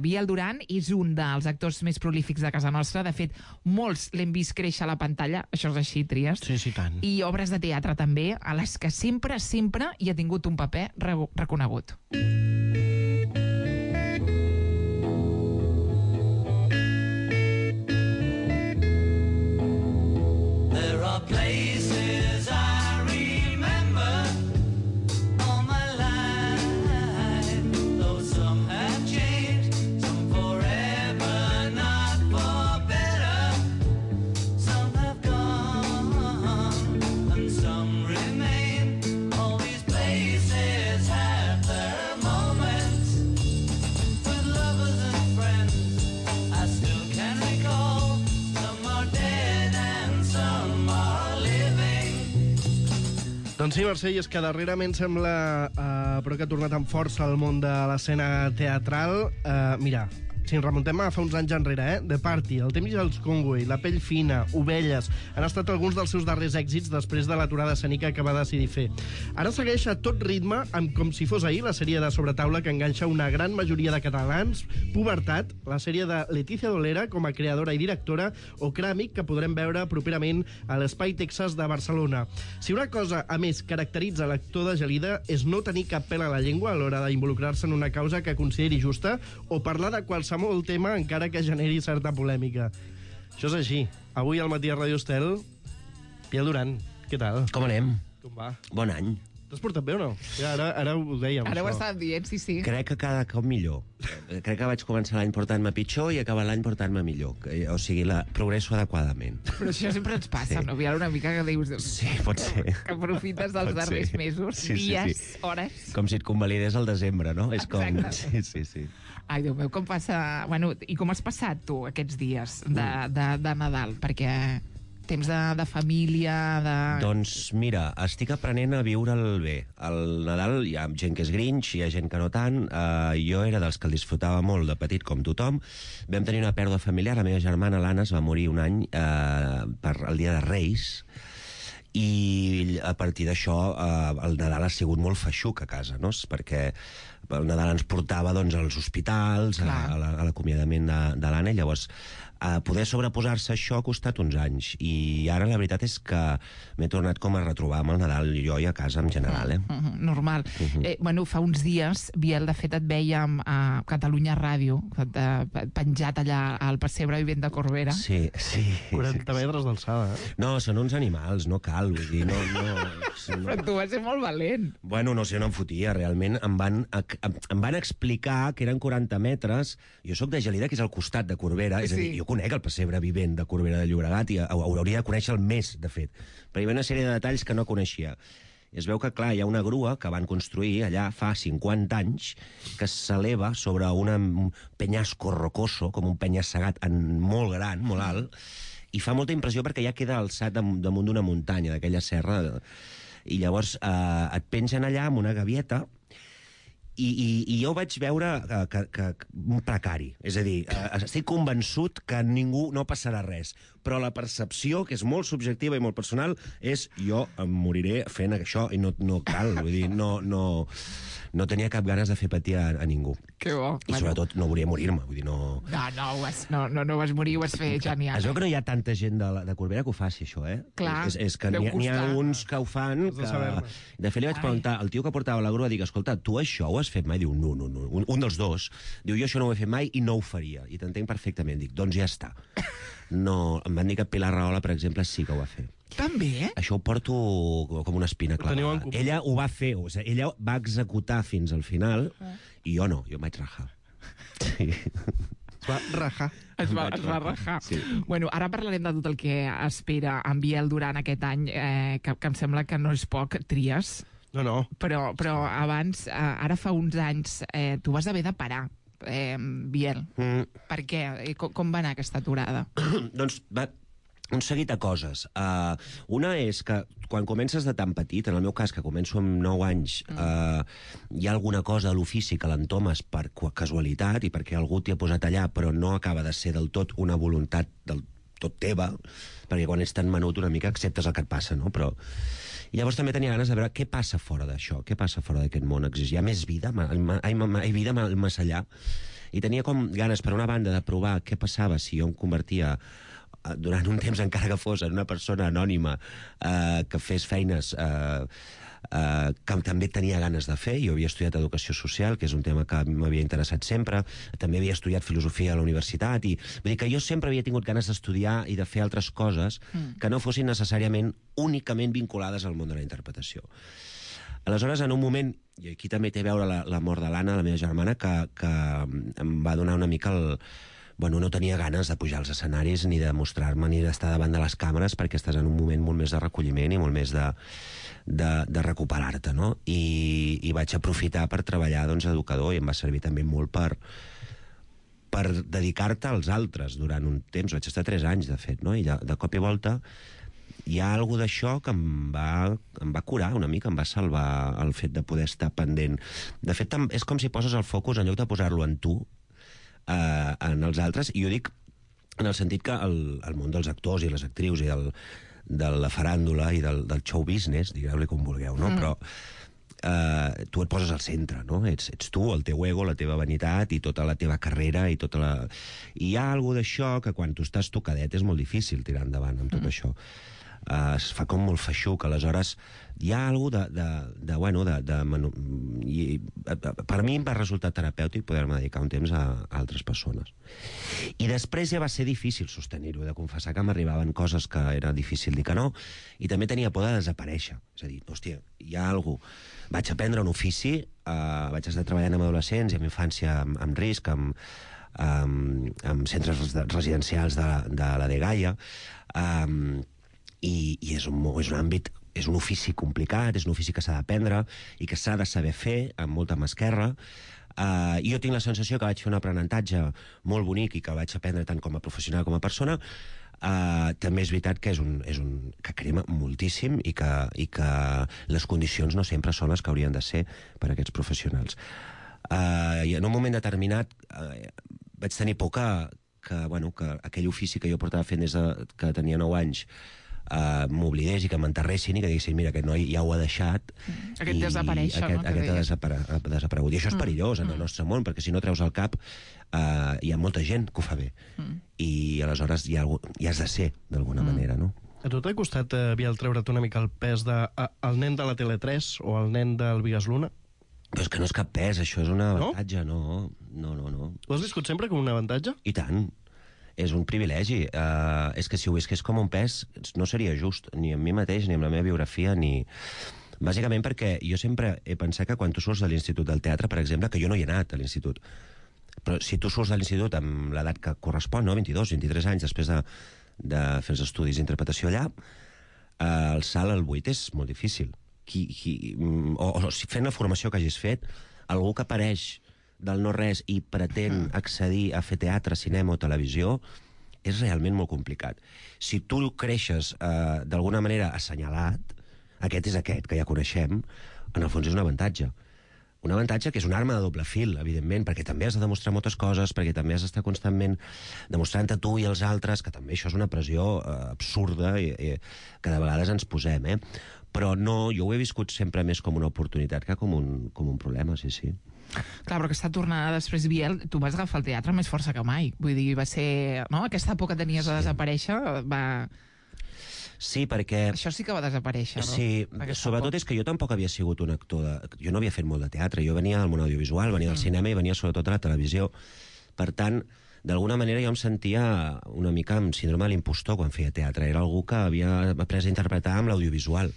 Biel Duran és un dels actors més prolífics de casa nostra. De fet, molts l'hem vist créixer a la pantalla, això és així, Trias. Sí, tant. I obres de teatre també, a les que sempre hi ha tingut un paper reconegut. There are places I remember all my life, though some have changed, some forever, not for better. Some have gone and some remain. All these places have their moments with lovers and friends. I still can recall. Some are dead and some are living. Doncs sí, Mercè, i és que darrerament sembla però que ha tornat amb força al món de l'escena teatral. Mira, si ens remuntem a fa uns anys enrere, The Party, El temps i els Conway, La pell fina, Ovelles, han estat alguns dels seus darrers èxits després de l'aturada escènica que va decidir fer. Ara segueix a tot ritme, amb Com si fos ahir, la sèrie de sobretaula que enganxa una gran majoria de catalans, Pubertat, la sèrie de Letícia Dolera com a creadora i directora, o Cràmic, que podrem veure properament a l'Espai Texas de Barcelona. Si una cosa, a més, caracteritza l'actor de Gelida és no tenir cap pèl a la llengua a l'hora d'involucrar-se en una causa que consideri justa o parlar de qualsevol tema encara que generi certa polèmica. Això és així. Avui al matí a Radio Estel, Biel Duran, què tal? Com anem? Com va? Bon any. T'has portat bé o no? Ja, ara ho dèiem, Ara ho això. estàvem dient, sí. Crec que cada cop millor. Crec que vaig començar l'any portant-me pitjor i acabar l'any portant-me millor. O sigui, progresso adequadament. Però això sempre ens passa, Sí. no? Biel, una mica que dius... Sí, pot ser. Que aprofites dels Pot darrers ser. mesos, Sí, sí, dies, sí. hores... Com si et convalidés al desembre, no? És com... Exacte. Sí. Ai, Déu meu, com passa... Bueno, i com has passat tu aquests dies de Nadal? Perquè temps de família, de... Doncs mira, estic aprenent a viure'l bé. Al Nadal hi ha gent que és grinch, hi ha gent que no tant. Jo era dels que el disfrutava molt de petit, com tothom. Vam tenir una pèrdua familiar. La meva germana, l'Anna, es va morir un any per el dia de Reis, i a partir d'això el Nadal ha sigut molt feixuc a casa, no? Perquè el Nadal ens portava doncs, als hospitals, a l'acomiadament de l'Anna, i llavors poder sobreposar-se a això ha costat uns anys, i ara la veritat és que m'he tornat com a retrobar amb el Nadal jo i a casa en general. Normal. Bueno, fa uns dies, Biel, de fet et vèiem a Catalunya Ràdio, penjat allà al pessebre vivent de Corbera. Sí. 40 metres d'alçada, No, són uns animals, no cal, vull dir, no. Però tu vas ser molt valent. Bueno, no sé, no em fotia, realment em van explicar que eren 40 metres. Jo sóc de Gelida, que és al costat de Corbera, és a dir, jo conec el pessebre vivent de Corbera de Llobregat i hauria de conèixer el més, de fet. Però hi havia una sèrie de detalls que no coneixia. I es veu que, clar, hi ha una grua que van construir allà fa 50 anys que s'eleva sobre un penyasco rocoso, com un penya-segat molt gran, molt alt, i fa molta impressió perquè ja queda alçat damunt d'una muntanya, d'aquella serra, i llavors et pengen allà amb una gavieta. I jo vaig veure que un precari, és a dir, estic convençut que ningú no passarà res, però la percepció, que és molt subjectiva i molt personal, és jo em moriré fent això i no cal, vull dir, no tenia cap ganes de fer patir a ningú. Que bo. I sobretot no volia morir-me, vull dir, no... No vas morir, ho vas fer genial. Es veu que no hi ha tanta gent de Corbera que ho faci, això, Clar, és que n'hi ha uns que ho fan que... De fet, li vaig preguntar al tio que portava la grua, dic, escolta, tu això ho has fet mai? Diu, no. Un dels dos diu, jo això no ho he fet mai i no ho faria. I t'entenc perfectament. Dic, doncs ja està. No, em van dir que Pilar Rahola, per exemple, sí que ho va fer. També? Això ho porto com una espina clavada. Ella ho va fer, o sigui, ella va executar fins al final i jo no, jo em vaig rajar. Sí. Es va rajar. Es va rajar. Sí. Bueno, ara parlarem de tot el que espera en Biel durant aquest any, que em sembla que no és poc, Trias. No. Però abans, ara fa uns anys, tu vas haver de parar, Biel. Per què? Com va anar aquesta aturada? Doncs un seguit de coses. Una és que quan comences de tan petit, en el meu cas, que començo amb 9 anys, hi ha alguna cosa a l'ofici que l'entomes per casualitat i perquè algú t'hi ha posat allà, però no acaba de ser del tot una voluntat del tot teva, perquè quan ets tan menut una mica acceptes el que et passa, no? Però... I llavors també tenia ganes de veure què passa fora d'això, què passa fora d'aquest món. Hi ha més vida? Hi ha vida més allà? I tenia com ganes, per una banda, de provar què passava si jo em convertia durant un temps encara que fos en una persona anònima que fes feines que també tenia ganes de fer. Jo havia estudiat educació social, que és un tema que m'havia interessat sempre, també havia estudiat filosofia a la universitat, i vull dir que jo sempre havia tingut ganes d'estudiar i de fer altres coses que no fossin necessàriament únicament vinculades al món de la interpretació. Aleshores, en un moment, i aquí també té a veure la mort de l'Anna, la meva germana, que em va donar una mica Bueno, no tenia ganes de pujar als escenaris, ni de mostrar-me, ni d'estar davant de les càmeres, perquè estàs en un moment molt més de recolliment i molt més de recuperar-te, no? I vaig aprofitar per treballar d'educador, i em va servir també molt per dedicar-te als altres durant un temps. Vaig estar 3 anys, de fet, no? I de cop i volta hi ha alguna d'això que em va curar una mica, em va salvar el fet de poder estar pendent. De fet, és com si poses el focus, en lloc de posar-lo en tu, en els altres, i ho dic en el sentit que el món dels actors i les actrius i de la faràndula i del show business, digueu-li com vulgueu, no? Però tu et poses al centre, no? Ets tu, el teu ego, la teva vanitat i tota la teva carrera i hi ha alguna d'això que quan tu estàs tocadet és molt difícil tirar endavant amb tot això. Es fa com molt feixuc, aleshores hi ha alguna per mi em va resultar terapèutic poder-me dedicar un temps a altres persones. I després ja va ser difícil sostenir-ho, de confessar que m'arribaven coses que era difícil dir que no, i també tenia por de desaparèixer. És a dir, hòstia, hi ha alguna cosa. Vaig aprendre un ofici, vaig estar treballant amb adolescents i amb infància amb risc, amb centres residencials de la Dgaia, i és un àmbit, és un ofici complicat, és un ofici que s'ha d'aprendre i que s'ha de saber fer amb molta mà esquerra. Jo tinc la sensació que vaig fer un aprenentatge molt bonic i que vaig aprendre tant com a professional com a persona. També és veritat que que crema moltíssim i que les condicions no sempre són les que haurien de ser per a aquests professionals. I en un moment determinat vaig tenir por que aquell ofici que jo portava fent des que tenia 9 anys m'oblidés i que m'enterressin i que diguessin, mira, aquest noi ja ho ha deixat. Aquest desaparèixer, no? Aquest ha desaparegut. I això és perillós en el nostre món, perquè si no treus el cap hi ha molta gent que ho fa bé. I aleshores ja has de ser, d'alguna manera, no? A tu t'ha costat, Biel, treure't una mica el pes el nen de la Tele3 o el nen del Bigues Luna? Però és que no és cap pes, això és un avantatge, no. Ho has viscut sempre com un avantatge? I tant. És un privilegi. És que si ho visqués com un pes no seria just, ni amb mi mateix, ni amb la meva biografia, ni... Bàsicament perquè jo sempre he pensat que quan tu surts de l'Institut del Teatre, per exemple, que jo no hi he anat a l'Institut, però si tu surts de l'Institut amb l'edat que correspon, no? 22, 23 anys, després de fer els estudis d'interpretació allà, el salt al 8 és molt difícil. O si fent la formació que hagis fet, algú que apareix del no-res i pretén accedir a fer teatre, cinema o televisió, és realment molt complicat. Si tu creixes d'alguna manera assenyalat, aquest és aquest, que ja coneixem, en el fons és un avantatge. Un avantatge que és una arma de doble fil, evidentment, perquè també has de demostrar moltes coses, perquè també has d'estar constantment demostrant a tu i als altres, que també això és una pressió absurda que de vegades ens posem, Però no, jo ho he viscut sempre més com una oportunitat que com un problema, sí. Clar, però aquesta tornada després, Biel, tu vas agafar el teatre amb més força que mai. Vull dir, va ser... No? Aquesta por que tenies a desaparèixer va... Sí, perquè... Això sí que va desaparèixer, no? Sí, sobretot és que jo tampoc havia sigut un actor Jo no havia fet molt de teatre, jo venia del món audiovisual, venia del cinema i venia sobretot de la televisió. Per tant, d'alguna manera jo em sentia una mica amb síndrome de l'impostor quan feia teatre. Era algú que havia après a interpretar amb l'audiovisual.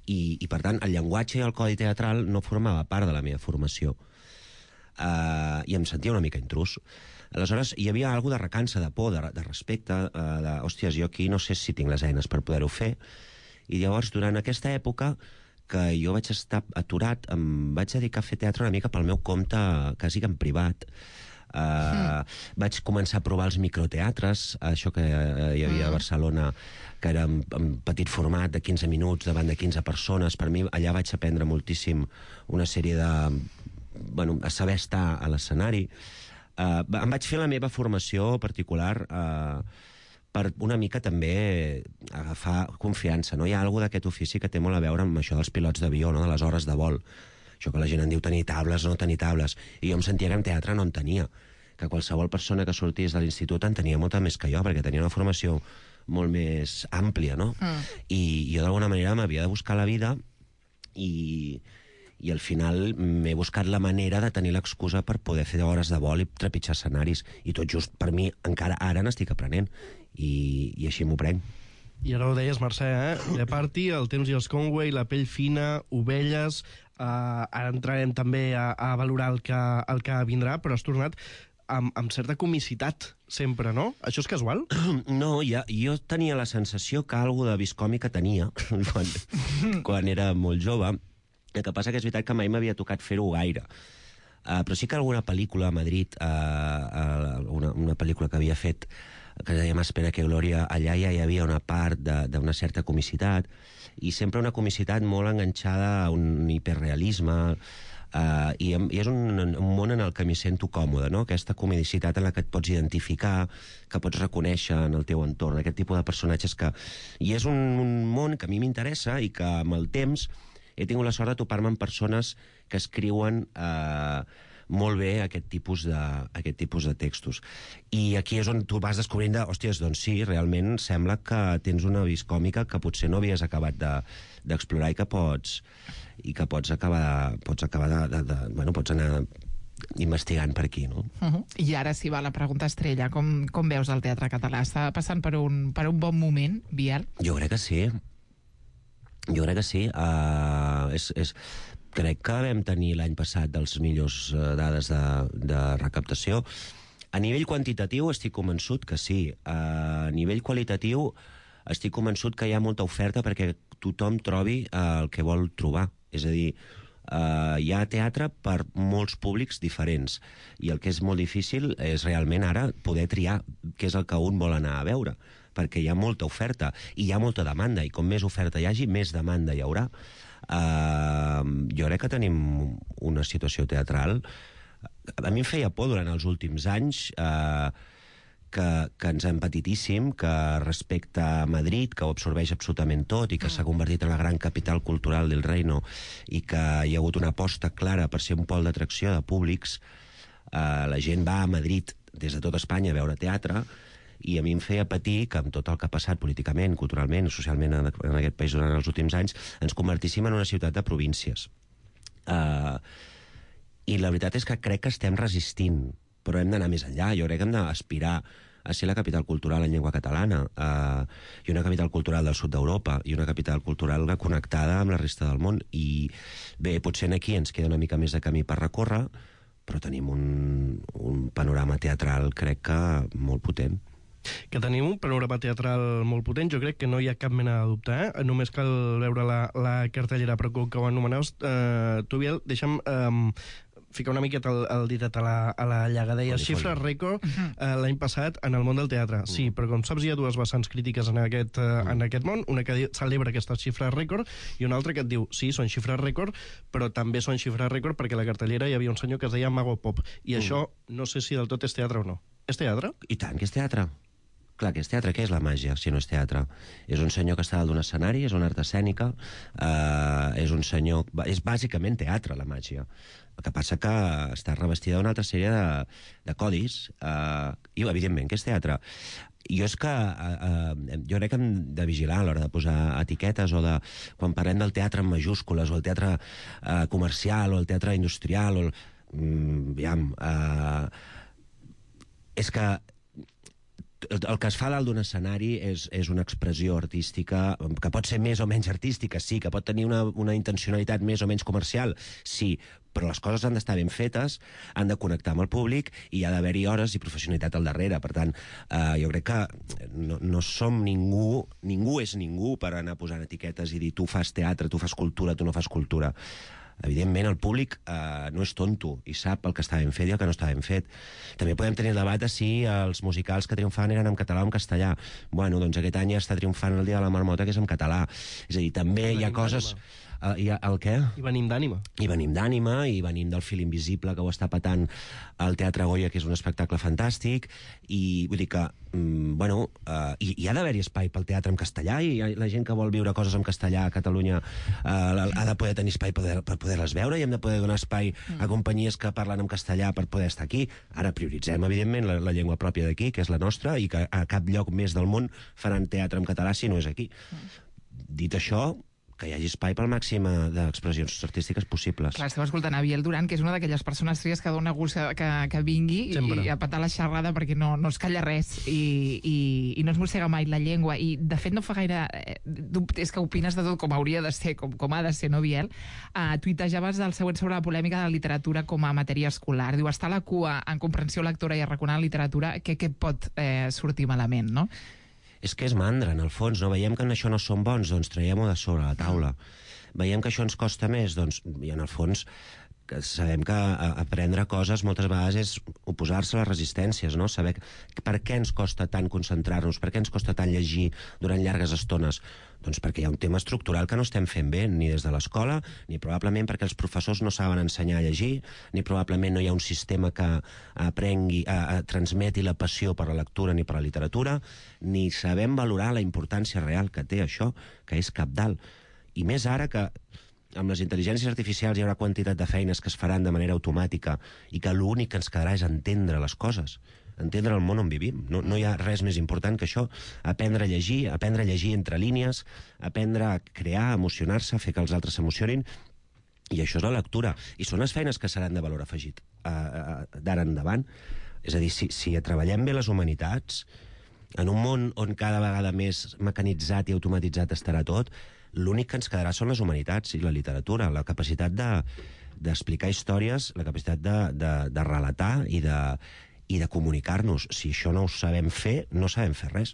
I per tant, el llenguatge i el codi teatral no formava part de la meva formació. I em sentia una mica intrus. Aleshores, hi havia alguna de recança, de por, de respecte, hòsties, jo aquí no sé si tinc les eines per poder-ho fer. I llavors, durant aquesta època que jo vaig estar aturat, em vaig dedicar a fer teatre una mica pel meu compte, quasi que en privat. Vaig començar a provar els microteatres, això que hi havia a Barcelona, que era en petit format de 15 minuts davant de 15 persones. Per mi allà vaig aprendre moltíssim una sèrie de... a saber estar a l'escenari. Em vaig fer la meva formació particular per una mica també agafar confiança. No? Hi ha alguna d'aquest ofici que té molt a veure amb això dels pilots d'avió, no? De les hores de vol. Això que la gent en diu tenir tables o no tenir tables. I jo em sentia que en teatre no en tenia. que qualsevol persona que sortís de l'institut en tenia molta més que jo, perquè tenia una formació molt més àmplia, no? I jo d'alguna manera m'havia de buscar la vida i al final m'he buscat la manera de tenir l'excusa per poder fer hores de vol i trepitjar escenaris. I tot just per mi, encara ara n'estic aprenent. I així m'ho prenc. I ara ho deies, Mercè, The Party, El temps i els Conway, La pell fina, Ovelles... ara entrarem també a valorar el que vindrà, però has tornat amb certa comicitat, sempre, no? Això és casual? No, jo tenia la sensació que algo de viscòmica tenia quan era molt jove. El que passa que és veritat que mai m'havia tocat fer-ho gaire. Però sí que alguna pel·lícula a Madrid, una pel·lícula que havia fet, que es deia Más pena que gloria, allà ja hi havia una part d'una certa comicitat, i sempre una comicitat molt enganxada a un hiperrealisme, i és un món en el que m'hi sento còmode, no? Aquesta comedicitat en la que et pots identificar, que pots reconèixer en el teu entorn, aquest tipus de personatges que... I és un món que a mi m'interessa i que amb el temps he tingut la sort de topar-me amb persones que escriuen molt bé aquest tipus de textos. I aquí és on tu vas descobrint hòsties, doncs sí, realment sembla que tens una viscòmica que potser no havies acabat d'explorar i que pots acabar pots anar investigant per aquí, no? I ara sí va la pregunta estrella. Com veus el teatre català? Està passant per un bon moment, Biel? Jo crec que sí. Crec que vam tenir l'any passat dels millors dades de recaptació. A nivell quantitatiu estic convençut que sí. A nivell qualitatiu estic convençut que hi ha molta oferta perquè tothom trobi el que vol trobar. És a dir, hi ha teatre per molts públics diferents i el que és molt difícil és realment ara poder triar què és el que un vol anar a veure, perquè hi ha molta oferta i hi ha molta demanda, i com més oferta hi hagi, més demanda hi haurà. Jo crec que tenim una situació teatral. A mi em feia por durant els últims anys que ens empetitíssim, que respecte a Madrid, que ho absorbeix absolutament tot i que s'ha convertit en la gran capital cultural del reino i que hi ha hagut una aposta clara per ser un pol d'atracció de públics, la gent va a Madrid des de tot Espanya a veure teatre, i a mi em feia patir que amb tot el que ha passat políticament, culturalment, socialment en aquest país durant els últims anys, ens convertíssim en una ciutat de províncies. I la veritat és que crec que estem resistint, però hem d'anar més enllà. Jo crec que hem d'aspirar a ser la capital cultural en llengua catalana, i una capital cultural del sud d'Europa, i una capital cultural connectada amb la resta del món. I bé, potser aquí ens queda una mica més de camí per recórrer, però tenim un panorama teatral, crec que molt potent. Que tenim un panorama teatral molt potent, jo crec que no hi ha cap mena de dubte, només cal veure la cartellera, però com que ho anomenaves, tu, Biel, deixa'm ficar una miqueta el ditet a la llaga. Deia xifres rècord l'any passat en el món del teatre. Sí, però com saps hi ha dues vessants crítiques en aquest món, una que celebra aquestes xifres rècord i una altra que et diu, sí, són xifres rècord, però també són xifres rècord perquè a la cartellera hi havia un senyor que es deia Mago Pop, i això no sé si del tot és teatre o no. És teatre? I tant que és teatre. Clar, que és teatre. Què és la màgia, si no és teatre? És un senyor que està dalt d'un escenari, és una art escènica, és un senyor... És bàsicament teatre, la màgia. El que passa que està revestida d'una altra sèrie de codis, i evidentment que és teatre. Jo crec que hem de vigilar a l'hora de posar etiquetes, o de quan parlem del teatre en majúscules, o el teatre comercial, o el teatre industrial, és que el que es fa dalt d'un escenari és una expressió artística que pot ser més o menys artística, sí, que pot tenir una intencionalitat més o menys comercial, sí, però les coses han d'estar ben fetes, han de connectar amb el públic i ha d'haver-hi hores i professionalitat al darrere. Per tant, jo crec que no som ningú és ningú per anar posant etiquetes i dir tu fas teatre, tu fas cultura, tu no fas cultura. Evidentment, el públic no és tonto i sap el que està ben fet i el que no està ben fet. També podem tenir el debat de si els musicals que triomfaven eren en català o en castellà. Bueno, doncs aquest any ja està triomfant el Dia de la Marmota, que és en català. És a dir, també hi ha coses... el què? I venim d'ànima. I venim d'ànima, i venim del Fil Invisible, que ho està patant al Teatre Goya, que és un espectacle fantàstic, i vull dir que, hi ha d'haver-hi espai pel teatre en castellà, i la gent que vol viure coses en castellà a Catalunya ha de poder tenir espai per poder-les veure, i hem de poder donar espai a companyies que parlen en castellà per poder estar aquí. Ara prioritzem, evidentment, la llengua pròpia d'aquí, que és la nostra, i que a cap lloc més del món faran teatre en català si no és aquí. Dit això, que hi hagi espai pel màxim d'expressions artístiques possibles. Clar, esteu escoltant a Biel Duran, que és una d'aquelles persones tries que dona gust que vingui i a patar la xerrada perquè no es calla res i no es mossega mai la llengua. I, de fet, no fa gaire... és que opines de tot com hauria de ser, com ha de ser, no, Biel? Tuitejaves el següent sobre la polèmica de la literatura com a matèria escolar. Diu, està a la cua en comprensió lectora i a reconar la literatura, què pot sortir malament, no? És que és mandra, en el fons, no? Veiem que en això no som bons, doncs traiem-ho de sobre la taula. Veiem que això ens costa més, doncs, i en el fons sabem que aprendre coses moltes vegades és oposar-se a les resistències, no? Saber per què ens costa tant concentrar-nos, per què ens costa tant llegir durant llargues estones. Doncs perquè hi ha un tema estructural que no estem fent bé, ni des de l'escola, ni probablement perquè els professors no saben ensenyar a llegir, ni probablement no hi ha un sistema que transmeti la passió per la lectura ni per la literatura, ni sabem valorar la importància real que té això, que és cabdal. I més ara que amb les intel·ligències artificials hi haurà quantitat de feines que es faran de manera automàtica i que l'únic que ens quedarà és entendre les coses, entendre el món on vivim. No hi ha res més important que això. Aprendre a llegir entre línies, aprendre a crear, a emocionar-se, a fer que els altres s'emocionin, i això és la lectura. I són les feines que seran de valor afegit d'ara endavant. És a dir, si treballem bé les humanitats, en un món on cada vegada més mecanitzat i automatitzat estarà tot, l'únic que ens quedarà són les humanitats i la literatura, la capacitat d'explicar històries, la capacitat de relatar i de comunicar-nos. Si això no ho sabem fer, no sabem fer res.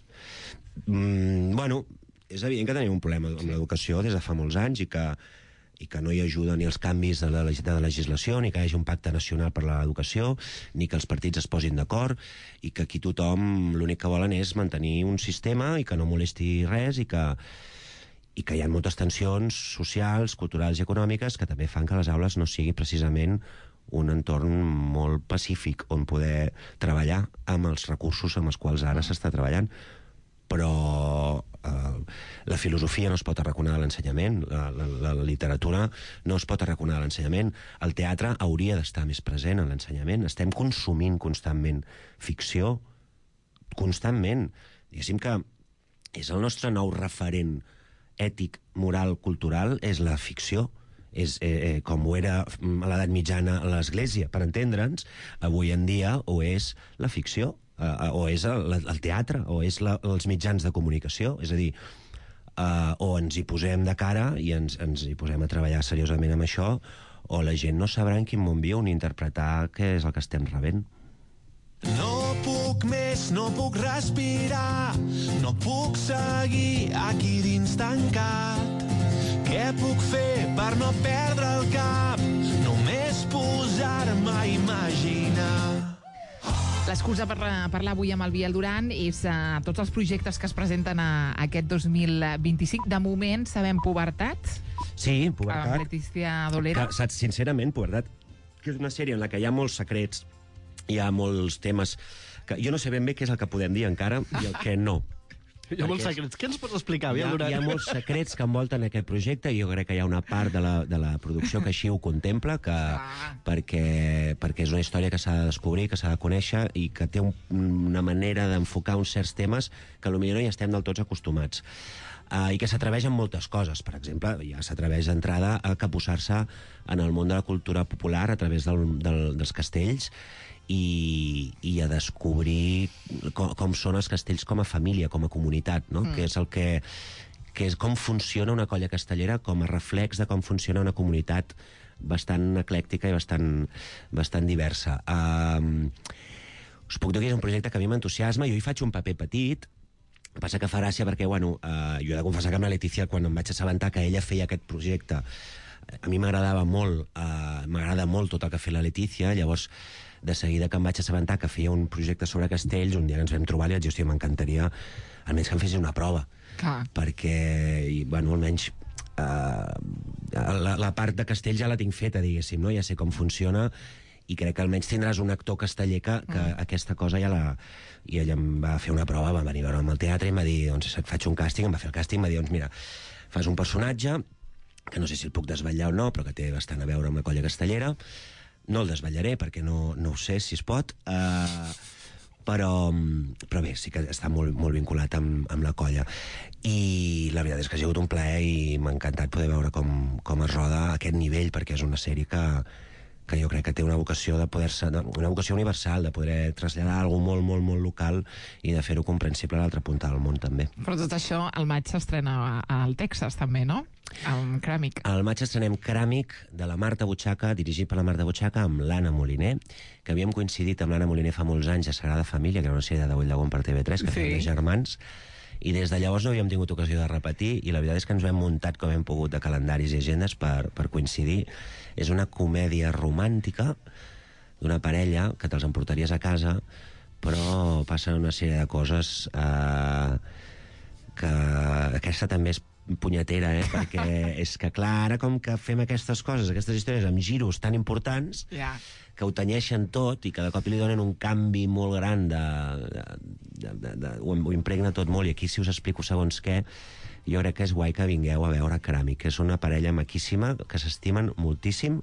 És evident que tenim un problema amb l'educació des de fa molts anys i que no hi ajuda ni els canvis de la legislació, ni que hi hagi un pacte nacional per l'educació, ni que els partits es posin d'acord, i que aquí tothom l'únic que volen és mantenir un sistema i que no molesti res, i que hi ha moltes tensions socials, culturals i econòmiques que també fan que les aules no sigui precisament un entorn molt pacífic on poder treballar amb els recursos amb els quals ara s'està treballant. Però la filosofia no es pot arraconar de l'ensenyament, la literatura no es pot arraconar de l'ensenyament, el teatre hauria d'estar més present en l'ensenyament. Estem consumint constantment ficció, constantment. Diguéssim que és el nostre nou referent ètic, moral, cultural, és la ficció. Com ho era a l'edat mitjana a l'Església, per entendre'ns, avui en dia o és la ficció, o és el teatre, o és els mitjans de comunicació. És a dir, o ens hi posem de cara i ens hi posem a treballar seriosament amb això, o la gent no sabrà en quin món viu ni interpretar què és el que estem rebent. No puc més, no puc respirar, no puc seguir aquí dins tancat. Què puc fer per no perdre el cap? Només posar-me a imaginar. L'excusa per parlar avui amb el Biel Duran és tots els projectes que es presenten aquest 2025. De moment sabem Pubertat. Sí, Pubertat. Amb Letícia Dolera. Saps, sincerament, Pubertat, que és una sèrie en la que hi ha molts secrets, hi ha molts temes que jo no sé ben bé què és el que podem dir encara i el que no. Hi ha molts secrets. Què ens pots explicar, Biel Duran? Hi ha molts secrets que envolten aquest projecte i jo crec que hi ha una part de la producció que així ho contempla, perquè és una història que s'ha de descobrir, que s'ha de conèixer i que té una manera d'enfocar uns certs temes que potser no hi estem del tots acostumats. I que s'atreveix en moltes coses. Per exemple, ja s'atreveix d'entrada a capbussar-se en el món de la cultura popular a través dels castells i a descobrir com són els castells com a família, com a comunitat, no? Que és com funciona una colla castellera com a reflex de com funciona una comunitat bastant eclèctica i bastant diversa. Us puc dir que és un projecte que a mi m'entusiasma, jo hi faig un paper petit, passa que fa gràcia perquè, jo he de confessar que amb la Letícia, quan em vaig assabentar que ella feia aquest projecte, a mi m'agradava molt, m'agrada molt tot el que ha fet la Letícia, llavors de seguida que em vaig assabentar que feia un projecte sobre castells, un dia ens vam trobar i vaig dir, hòstia, m'encantaria almenys que em fessin una prova. Perquè, almenys la part de castell ja la tinc feta, diguéssim, no? Ja sé com funciona, i crec que almenys tindràs un actor casteller que aquesta cosa ja la... I ella em va fer una prova, va venir a veure'm al teatre i em va dir, doncs, faig un càsting, em va fer el càsting, em va dir, doncs, mira, fas un personatge, que no sé si el puc desvetllar o no, però que té bastant a veure amb la colla castellera. No el desvetllaré, perquè no ho sé si es pot, però bé, sí que està molt vinculat amb la colla. I la veritat és que ha sigut un plaer i m'ha encantat poder veure com es roda a aquest nivell, perquè és una sèrie que jo crec que té una vocació de poder-se, una vocació universal, de poder traslladar alguna cosa molt local i de fer-ho comprensible a l'altra punta del món, també. Però tot això, al maig s'estrena al Texas, també, no? Amb Cràmic. Al maig estrenem Cràmic, de la Marta Butxaca, dirigit per la Marta Butxaca, amb l'Anna Moliner, que havíem coincidit amb l'Anna Moliner fa molts anys a Sagrada Família, que era una sèrie de Dagoll Llagón per TV3, que feia de germans, i des de llavors no havíem tingut ocasió de repetir, i la veritat és que ens ho hem muntat com hem pogut de calendaris i agendes per coincidir. És una comèdia romàntica d'una parella que te'ls emportaries a casa, però passen una sèrie de coses que aquesta també és punyetera, perquè és que, clar, ara com que fem aquestes coses, aquestes històries amb giros tan importants, que ho tenyeixen tot i cada cop li donen un canvi molt gran, ho impregna tot molt, i aquí si us explico segons què, jo crec que és guai que vingueu a veure Cràmic, que és una parella maquíssima, que s'estimen moltíssim,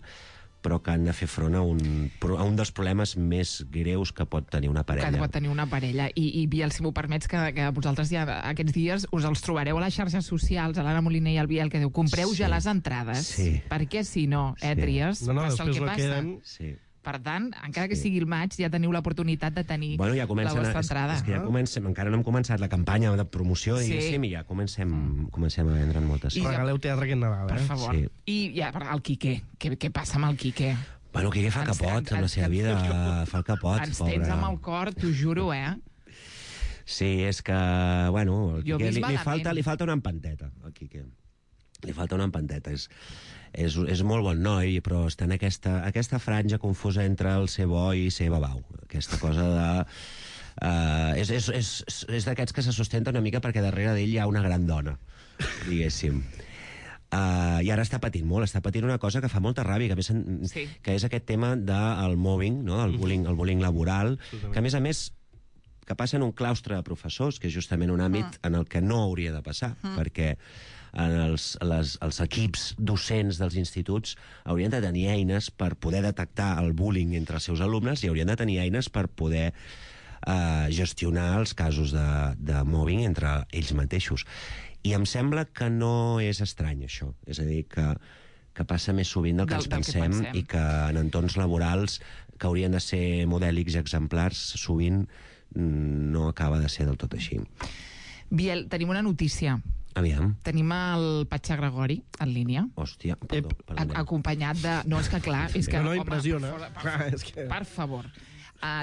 però que han de fer front a un dels problemes més greus que pot tenir una parella. Que pot tenir una parella. I Biel, si m'ho permets, que vosaltres ja aquests dies us els trobareu a les xarxes socials, a l'Anna Moliner i al Biel, que diu, compreu ja les entrades, perquè si no, Tries, passa el que passa. Sí. Per tant, encara que sigui el maig, ja teniu l'oportunitat de tenir la vostra entrada. És que ja comencem, encara no hem començat la campanya de promoció, diguéssim, i ja comencem a vendre moltes. Regaleu teatre aquest Nadal, per favor. I ja, el Quiqué. Què passa amb el Quiqué? Bueno, el Quiqué fa capot amb la seva vida, fa el capot, ens tens amb el cor, t'ho juro, Sí, és que, bueno, el Quiqué li falta una empanteta, al Quiqué. Li falta una empanteta, és molt bon noi, però està en aquesta franja confusa entre el ser bo i ser babau. Aquesta cosa de... És d'aquests que se sustenta una mica perquè darrere d'ell hi ha una gran dona, diguéssim. I ara està patint molt, està patint una cosa que fa molta ràbia, que és aquest tema del mobbing, no? El bullying laboral, que a més que passa en un claustre de professors, que és justament un àmbit en el que no hauria de passar, perquè els equips docents dels instituts haurien de tenir eines per poder detectar el bullying entre els seus alumnes i haurien de tenir eines per poder gestionar els casos de mobbing entre ells mateixos. I em sembla que no és estrany, això. És a dir, que passa més sovint del que ens pensem i que en entorns laborals que haurien de ser modèlics i exemplars sovint no acaba de ser del tot així. Biel, tenim una notícia. Aviam. Tenim el Patxà Gregori en línia. Hòstia, perdó. Acompanyat de... No, és que clar... És que, no impressiona. Per favor.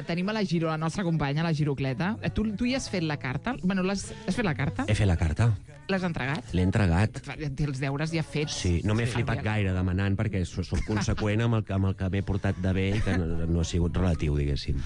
Tenim a la Giro, la nostra companya, la Girocleta. Tu hi has fet la carta? Bueno, has fet la carta? He fet la carta. L'has entregat? L'he entregat. Té els deures ja fets. Sí, no m'he flipat gaire demanant perquè soc conseqüent amb el que m'he portat de bé i que no ha sigut relatiu, diguéssim.